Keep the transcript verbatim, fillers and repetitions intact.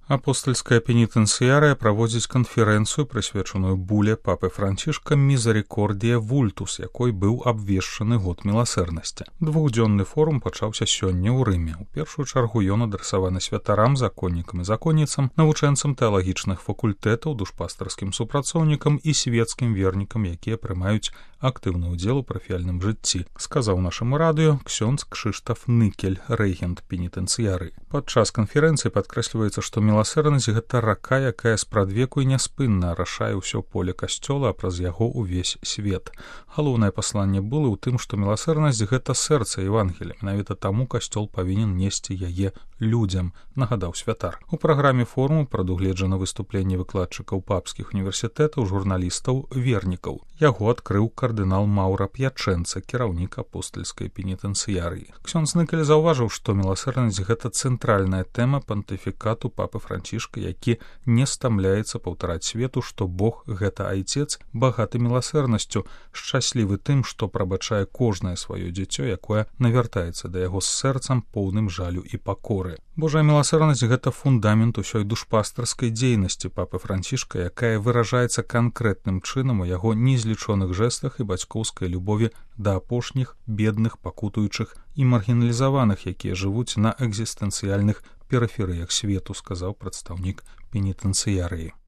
Апостальская пенітэнцыярыя праводзіць канферэнцыю, прысвечаную буле папы Францішка «Мізерікордія вультус», якой быў абвешчаны год міласэрнасці. Двухдзённы форум пачаўся сёння ў Рыме. У першую чаргу ён адрасаваны святарам, законнікам і законніцам, навучэнцам тэалагічных факультэтаў, душпастарскім супрацоўнікам і свецкім вернікам, якія прымаюць актыўны ўдзел у парафіяльным жыцці, сказаў нашаму радыё ксёндз Кшыштаф Ныкель, рэгент пенітэнцыярыі. Падчас канферэнцыі падкрэсліваецца, што міласэрнасць — гэта рака, якая спрадвеку і няспынна арашае ўсё поле касцёла, а праз яго ўвесь свет. Галоўнае пасланне булы ў тым, што міласэрнасць — гэта сэрца Евангелія. Менавіта таму касцёл павінен несці яе людзям, нагадаў святар. У праграме форуму прадугледжана выступленне выкладчыкаў папскіх універсітэтаў, журналістаў, вернікаў. Яго адкрыў кардынал Маўра П'ячэнца, кіраўнік апостальскай пенітэнцыярыі. Ксёндз Ныкель заўважыў, што міласэрнасць — гэта цэнтральная тэма пантыфікату папы Францішка, які не стамляецца паўтараць свету, што Бог — гэта айцец, багаты міласэрнасцю, шчаслівы тым, што прабачае кожнае сваё дзіцё, якое навяртаецца да яго з сэрцам, поўным жалю і пакоры. Божая міласэрнасць — гэта фундамент усёй душпастарскай дзейнасці папы Францішка, якая выражаецца канкрэтным чынам у яго незлічоных жэстах і бацькоўскай любові да апошніх, бедных, пакутуючых і маргіналізаваных, якія жывуць на экзістэнцыяльных перыферыях свету, сказаў прадстаўнік пенітэнцыярыі.